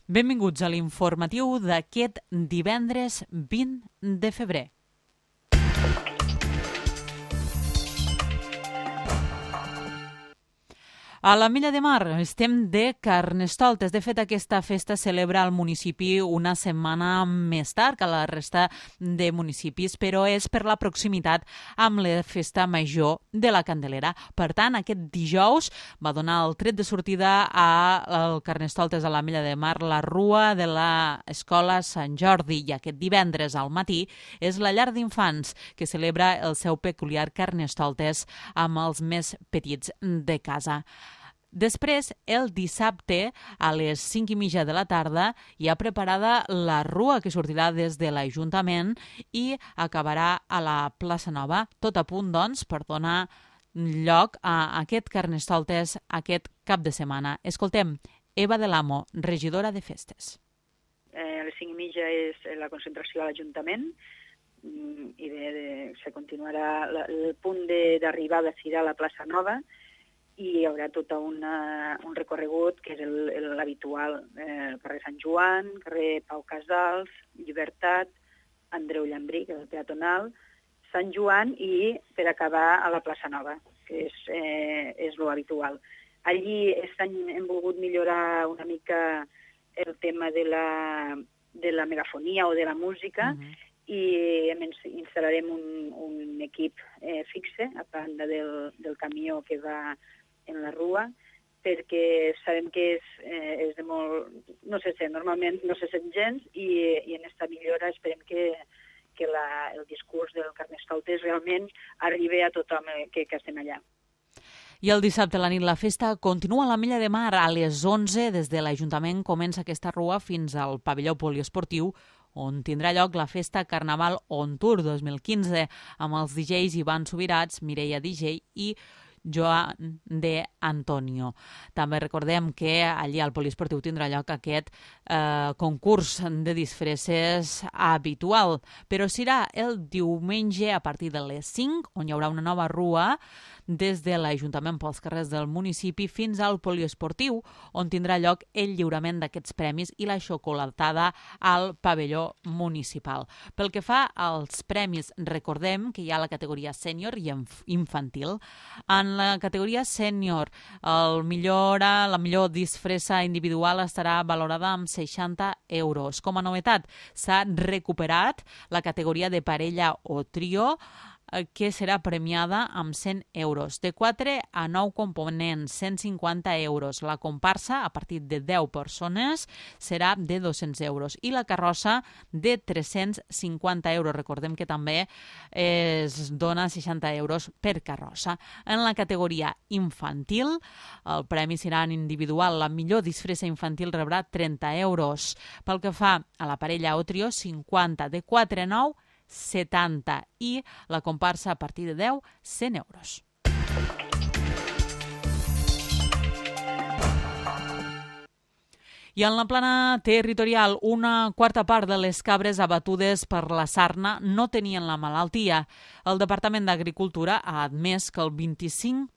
Benvinguts a l'informatiu d'aquest divendres 20 de febrer. A l'Ametlla de Mar estem de Carnestoltes. De fet, aquesta festa celebra al municipi una setmana més tard que la resta de municipis, però és per la proximitat amb la festa major de la Candelera. Per tant, aquest dijous va donar el tret de sortida al Carnestoltes a l'Ametlla de Mar la rua de l'Escola Sant Jordi, i aquest divendres al matí és la llar d'infants que celebra el seu peculiar Carnestoltes amb els més petits de casa. Després, el dissabte, a les 5:30 de la tarda, hi ha preparada la rua que sortirà des de l'Ajuntament i acabarà a la plaça Nova. Tot a punt, doncs, per donar lloc a aquest Carnestoltes aquest cap de setmana. Escoltem Eva de l'Amo, regidora de festes. A les 5:30 és la concentració a l'Ajuntament i se continuarà. El punt d'arribada serà a la plaça Nova, i hi haurà tot un recorregut que és l'habitual, carrer Sant Joan, carrer Pau Casals, Llibertat, Andreu Llambrí, que és el peatonal, Sant Joan, i per acabar a la plaça Nova, que és l'habitual. Allí aquest any hem volgut millorar una mica el tema de la megafonia o de la música, i instal·larem un equip fixe a banda del camió que va en la rua, perquè sabem que és de molt... no se sent, normalment no se sent gens, i en aquesta millora esperem que el discurs del Carnestoltes realment arribi a tothom que estem allà. I el dissabte a la nit la festa continua a l'Ametlla de Mar. A les 11 des de l'Ajuntament comença aquesta rua fins al pavelló poliesportiu, on tindrà lloc la festa Carnaval On Tour 2015, amb els DJs Ivan Subirats, Mireia DJ i Joan de Antonio. També recordem que allí al poliesportiu tindrà lloc aquest concurs de disfresses habitual, però serà el diumenge a partir de les 5, on hi haurà una nova rua des de l'Ajuntament pels carrers del municipi fins al poliesportiu, on tindrà lloc el lliurament d'aquests premis i la xocolatada al pavelló municipal. Pel que fa als premis, recordem que hi ha la categoria sènior i infantil. En la categoria sènior, la millor disfressa individual estarà valorada amb 60 euros. Com a novetat, s'ha recuperat la categoria de parella o trio, que serà premiada amb 100 euros. De 4 a 9 components, 150 euros. La comparsa, a partir de 10 persones, serà de 200 euros. I la carrossa, de 350 euros. Recordem que també es dona 60 euros per carrossa. En la categoria infantil, el premi serà en individual. La millor disfressa infantil rebrà 30 euros. Pel que fa a la parella o trio, 50. De 4 a 9, 70, i la comparsa a partir de 10, 100 euros. I en la plana territorial, una quarta part de les cabres abatudes per la sarna no tenien la malaltia. El Departament d'Agricultura ha admès que el 25%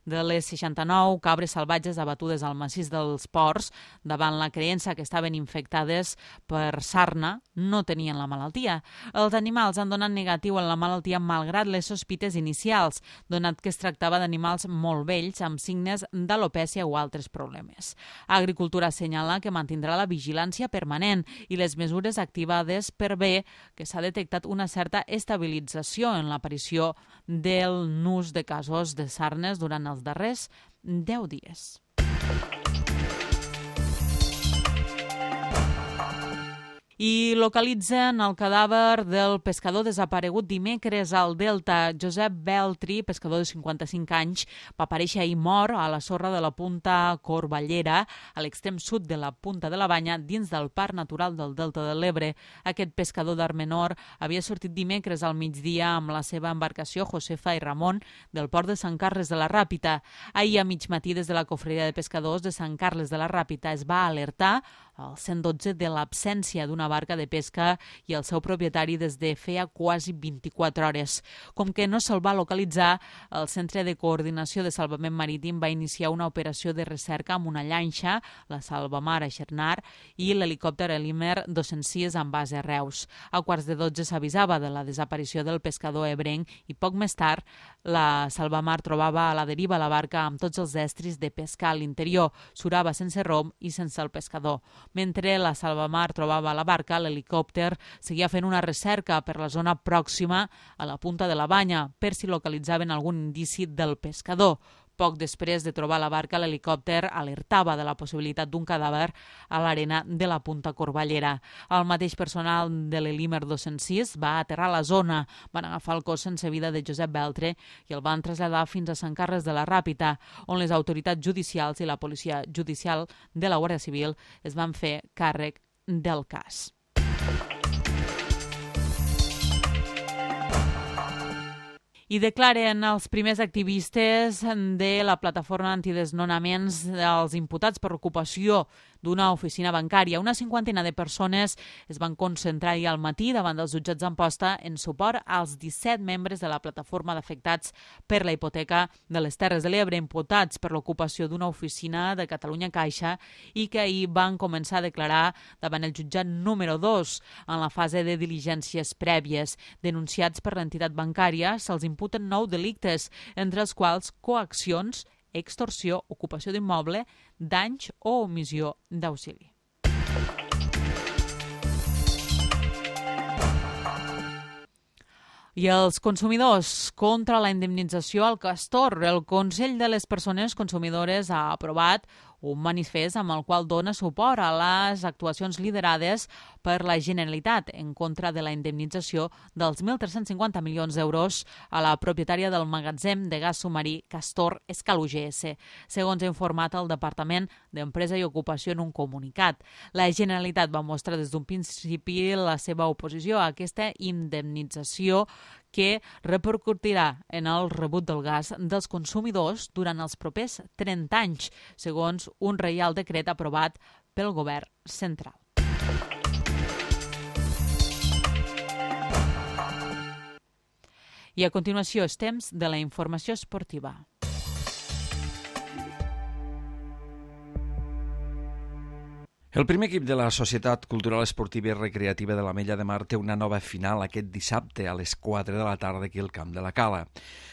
de les 69 cabres salvatges abatudes al massís dels Ports davant la creença que estaven infectades per sarna no tenien la malaltia. Els animals han donat negatiu en la malaltia malgrat les sospites inicials, donat que es tractava d'animals molt vells amb signes d'alopècia o altres problemes. Agricultura assenyala que mantindrà la vigilància permanent i les mesures activades per bé que s'ha detectat una certa estabilització en l'aparició del nus de casos de sarnes durant els darrers 10 dies. I localitzen el cadàver del pescador desaparegut dimecres al Delta. Josep Beltri, pescador de 55 anys, va aparèixer ahir mort a la sorra de la Punta Corballera, a l'extrem sud de la Punta de la Banya, dins del Parc Natural del Delta de l'Ebre. Aquest pescador d'art menor havia sortit dimecres al migdia amb la seva embarcació Josefa i Ramon del port de Sant Carles de la Ràpita. Ahir a mig matí, des de la Cofreria de Pescadors de Sant Carles de la Ràpita, es va alertar el 112 de l'absència d'una barca de pesca i el seu propietari des de feia quasi 24 hores. Com que no se'l va localitzar, el Centre de Coordinació de Salvament Marítim va iniciar una operació de recerca amb una llanxa, la Salvamar a Xernar, i l'helicòpter Elimer 206 amb base a Reus. A 11:45 s'avisava de la desaparició del pescador ebrenc i poc més tard la Salvamar trobava a la deriva la barca amb tots els estris de pescar a l'interior, surava sense rom i sense el pescador. Mentre la Salvamar trobava la barca, l'helicòpter seguia fent una recerca per la zona pròxima a la punta de la banya per si localitzaven algun indici del pescador. Poc després de trobar la barca, l'helicòpter alertava de la possibilitat d'un cadàver a l'arena de la Punta Corballera. El mateix personal de l'Elimer 206 va aterrar a la zona, van agafar el cos sense vida de Josep Beltre i el van traslladar fins a Sant Carles de la Ràpita, on les autoritats judicials i la policia judicial de la Guàrdia Civil es van fer càrrec del cas. I declaren els primers activistes de la plataforma antidesnonaments els imputats per ocupació d'una oficina bancària. Una cinquantena de persones es van concentrar ahir al matí davant dels jutjats d'Amposta en suport als 17 membres de la plataforma d'afectats per la hipoteca de les Terres de l'Ebre, imputats per l'ocupació d'una oficina de Catalunya Caixa i que ahir van començar a declarar davant el jutjat número 2 en la fase de diligències prèvies. Denunciats per l'entitat bancària, se'ls imputen 9 delictes, entre els quals coaccions, extorsió, ocupació d'immoble, danys o omissió d'auxili. I els consumidors contra la indemnització al castor. El Consell de les Persones Consumidores ha aprovat un manifest amb el qual dona suport a les actuacions liderades per la Generalitat en contra de la indemnització dels 1.350 milions d'euros a la propietària del magatzem de gas submarí Castor Escal UGS, segons ha informat el Departament d'Empresa i Ocupació en un comunicat. La Generalitat va mostrar des d'un principi la seva oposició a aquesta indemnització que repercutirà en el rebut del gas dels consumidors durant els propers 30 anys, segons un reial decret aprovat pel govern central. I a continuació és temps de la informació esportiva. El primer equip de la Societat Cultural Esportiva i Recreativa de l'Ametlla de Mar té una nova final aquest dissabte a les 4 de la tarda aquí al Camp de la Cala.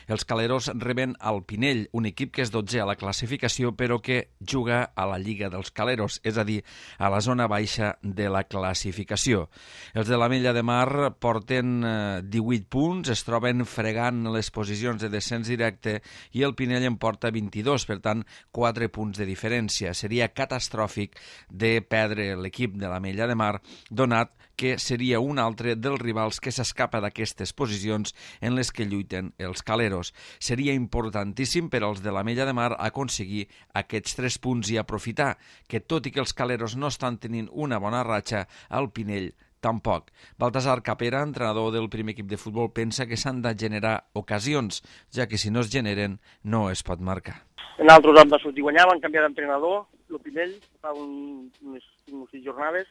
Els caleros reben al Pinell, un equip que és 12è a la classificació però que juga a la Lliga dels Caleros, és a dir, a la zona baixa de la classificació. Els de l'Ametlla de Mar porten 18 punts, es troben fregant les posicions de descens directe i el Pinell en porta 22, per tant 4 punts de diferència. Seria catastròfic de perdre l'equip de l'Ametlla de Mar, donat que seria un altre dels rivals que s'escapa d'aquestes posicions en les que lluiten els caleros. Seria importantíssim per als de l'Ametlla de Mar aconseguir aquests 3 punts i aprofitar que, tot i que els caleros no estan tenint una bona ratxa, el Pinell tampoc. Baltasar Capera, entrenador del primer equip de futbol, pensa que s'han de generar ocasions, ja que si no es generen no es pot marcar. Nosaltres vam sortir a guanyar, van canviar d'entrenador, el Pinell, fa unes 6 jornades,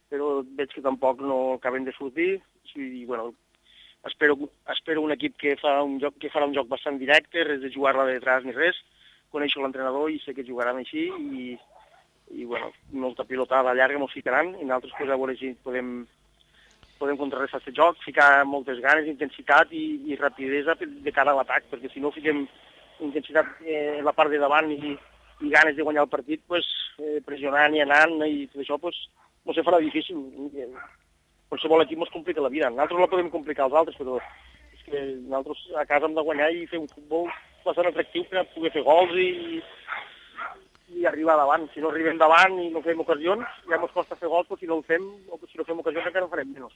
però veig que tampoc no acaben de sortir. I, bueno, espero un equip que farà un joc bastant directe, res de jugar-la de detrás ni res. Coneixo l'entrenador i sé que jugaran així i bueno, molta pilotada llarga mos ficaran i nosaltres pues, a veure si podem contrarrestar aquest joc, ficar moltes ganes, intensitat i rapidesa de cara a l'atac, perquè si no fiquem intensitat en la part de davant i ganes de guanyar el partit, pues, pressionant i anant i tot això, pues, no se farà difícil. Qualsevol equip ens complica la vida. Nosaltres la podem complicar als altres, però és que nosaltres a casa hem de guanyar i fer un futbol bastant atractiu per poder fer gols i arribar davant. Si no arribem davant i no fem ocasions, ja ens costa fer gols, però si no ho fem, o si no fem ocasions encara en farem menys.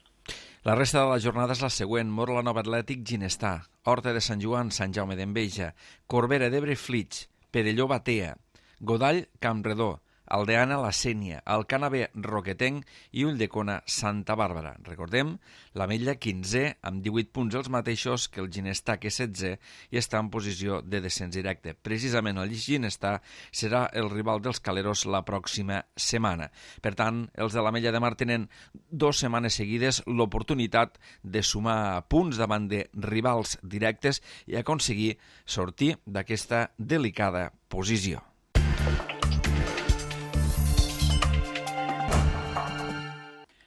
La resta de la jornada és la següent: Mor la Nova Atlètic, Ginestà; Horta de Sant Joan, Sant Jaume d'Enveja; Corbera d'Ebre, Flix; Perelló, Batea; Godall, Campredó; Aldeana La Sénia, Alcana B Roquetenc i Ulldecona Santa Bàrbara. Recordem, l'Ametlla 15è amb 18 punts els mateixos que el Ginestar, que és 16è i està en posició de descens directe. Precisament el Ginestar serà el rival dels Caleros la pròxima setmana. Per tant, els de l'Ametlla de Mar tenen 2 setmanes seguides l'oportunitat de sumar punts davant de rivals directes i aconseguir sortir d'aquesta delicada posició.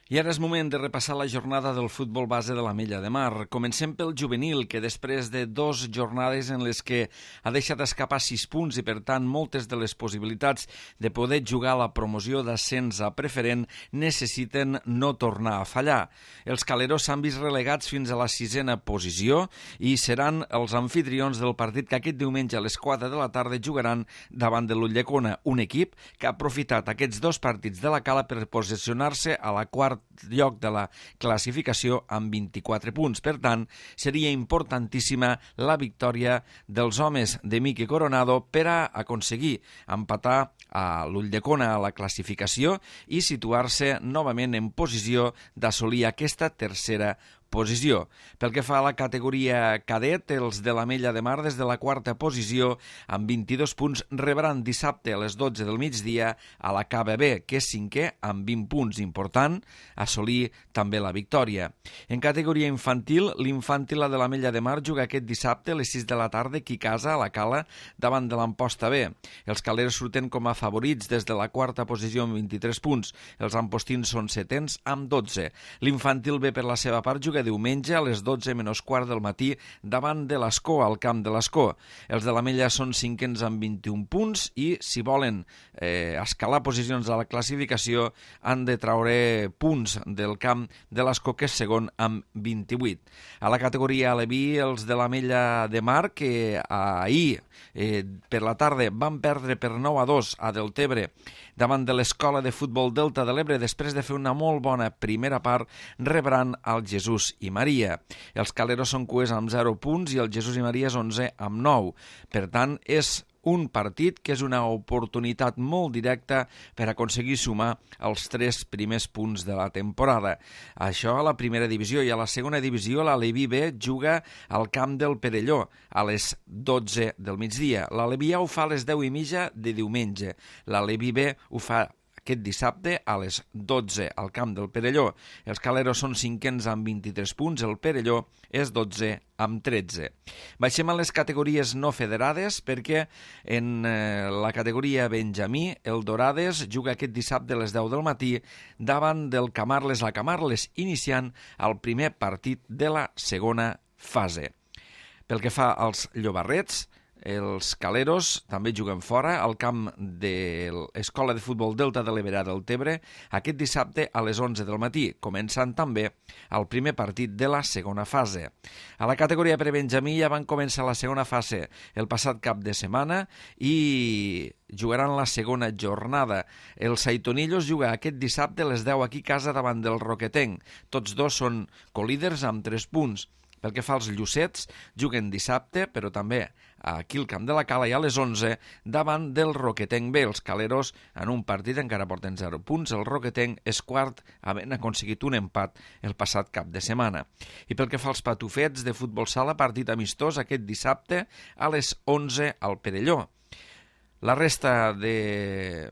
I ara és moment de repassar la jornada del futbol base de l'Ametlla de Mar. Comencem pel juvenil, que després de 2 jornades en les que ha deixat escapar 6 punts i, per tant, moltes de les possibilitats de poder jugar a la promoció d'ascens a preferent necessiten no tornar a fallar. Els Caleros s'han vist relegats fins a la 6a posició i seran els anfitrions del partit que aquest diumenge a les 4 de la tarda jugaran davant de l'Ulldecona, un equip que ha aprofitat aquests 2 partits de la Cala per posicionar-se a la quart lloc de la classificació amb 24 punts. Per tant, seria importantíssima la victòria dels homes de Miqui Coronado per a aconseguir empatar a l'Ulldecona a la classificació i situar-se novament en posició d'assolir aquesta tercera posició. Pel que fa a la categoria cadet, els de l'Ametlla de Mar des de la 4a posició amb 22 punts rebran dissabte a les 12 del migdia a la KBB, que és 5è amb 20 punts. Important assolir també la victòria. En categoria infantil, l'infantil de l'Ametlla de Mar juga aquest dissabte a les 6 de la tarda aquí a casa, a la Cala, davant de l'Amposta B. Els caleros surten com a favorits des de la 4a posició amb 23 punts. Els ampostins són 7ens amb 12. L'infantil B, per la seva part, juga diumenge a les 12 menys quart del matí davant de l'Escó, al camp de l'Escó. Els de l'Ametlla són 5ens amb 21 punts i, si volen escalar posicions a la classificació, han de traure punts del camp de l'Escó, que és segon amb 28. A la categoria Aleví, els de l'Ametlla de Mar, que ahir per la tarda van perdre per 9-2 a Deltebre davant de l'Escola de Futbol Delta de l'Ebre, després de fer una molt bona primera part, rebran el Jesús i Maria. Els caleros són cues amb 0 punts i el Jesús i Maria és 11 amb 9. Per tant, és un partit que és una oportunitat molt directa per aconseguir sumar els 3 primers punts de la temporada. Això a la primera divisió, i a la segona divisió l'Aleví B juga al camp del Perelló a les 12 del migdia. L'Aleví A ho fa a les 10:30 de diumenge. L'Aleví B ho fa aquest dissabte a les 12 al camp del Perelló. Els caleros són 5ens amb 23 punts, el Perelló és 12 amb 13. Baixem a les categories no federades perquè en la categoria Benjamí el Dorades juga aquest dissabte a les 10 del matí davant del Camarles a Camarles, iniciant el primer partit de la segona fase. Pel que fa als llobarrets, els caleros també juguen fora al camp de l'Escola de Futbol Delta de l'Ebre del Tebre aquest dissabte a les 11 del matí, començant també el primer partit de la segona fase. A la categoria per Benjamí ja van començar la segona fase el passat cap de setmana i jugaran la segona jornada. El Saitonillos juga aquest dissabte a les 10 aquí a casa davant del Roquetenc. Tots dos són colíders amb 3 punts. Pel que fa als Llucets, juguen dissabte, però també aquí al camp de la Cala i a les 11 davant del Roquetenc B. Els caleros en un partit encara porten 0 punts. El Roquetenc és quart, havent aconseguit un empat el passat cap de setmana. I pel que fa als patufets de futbol sala, partit amistós aquest dissabte a les 11 al Perelló. La resta de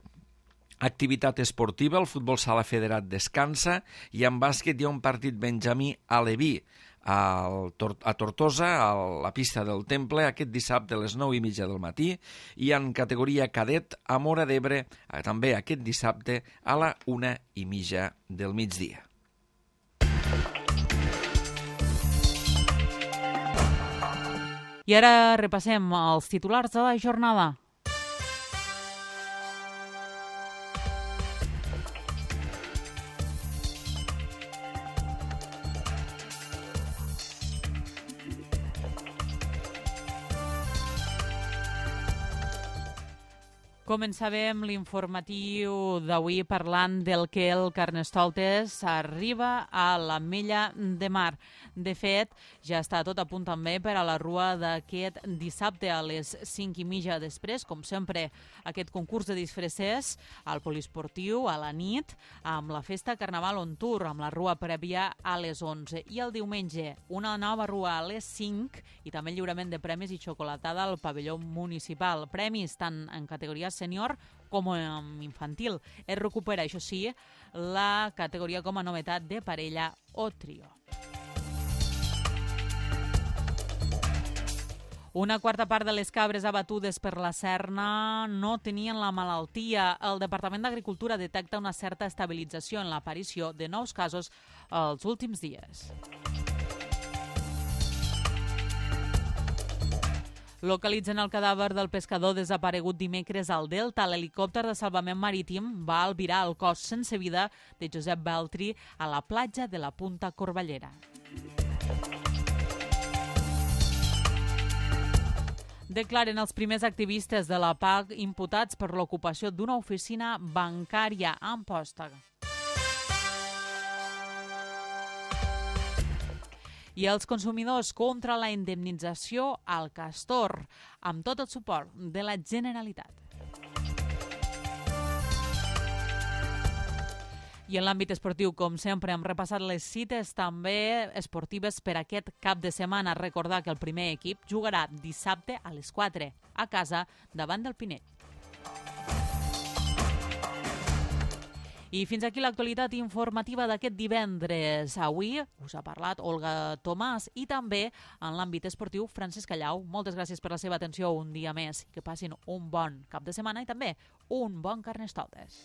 activitat esportiva, el futbol sala federat descansa i en bàsquet hi ha un partit Benjamí Aleví a Tortosa, a la pista del Temple, aquest dissabte a les 9:30 del matí, i en categoria cadet a Móra d'Ebre, també aquest dissabte a la 1:30 del migdia. I ara repassem els titulars de la jornada. Començàvem l'informatiu d'avui parlant del que el Carnestoltes arriba a l'Ametlla de Mar. De fet, ja està tot a punt també per a la rua d'aquest dissabte a les 5:30 després, com sempre, aquest concurs de disfressers al poliesportiu a la nit, amb la festa Carnaval on Tour, amb la rua prèvia a les 11. I el diumenge, una nova rua a les 5 i també el lliurament de premis i xocolatada al pavelló municipal. Premis tant en categoria sènior com en infantil. Es recupera, això sí, la categoria com a novetat de parella o trio. Una quarta part de les cabres abatudes per la Serna no tenien la malaltia. El Departament d'Agricultura detecta una certa estabilització en l'aparició de nous casos els últims dies. Localitzen el cadàver del pescador desaparegut dimecres al Delta. L'helicòpter de salvament marítim va albirar el cos sense vida de Josep Beltri a la platja de la Punta Corballera. Declaren els primers activistes de la PAC imputats per l'ocupació d'una oficina bancària a Amposta. I els consumidors contra la indemnització al castor, amb tot el suport de la Generalitat. I en l'àmbit esportiu, com sempre, hem repassat les cites també esportives per aquest cap de setmana. Recordar que el primer equip jugarà dissabte a les 4 a casa davant del Pinell. I fins aquí l'actualitat informativa d'aquest divendres. Avui us ha parlat Olga Tomàs i també en l'àmbit esportiu Francesc Callau. Moltes gràcies per la seva atenció un dia més. Que passin un bon cap de setmana i també un bon Carnestoltes.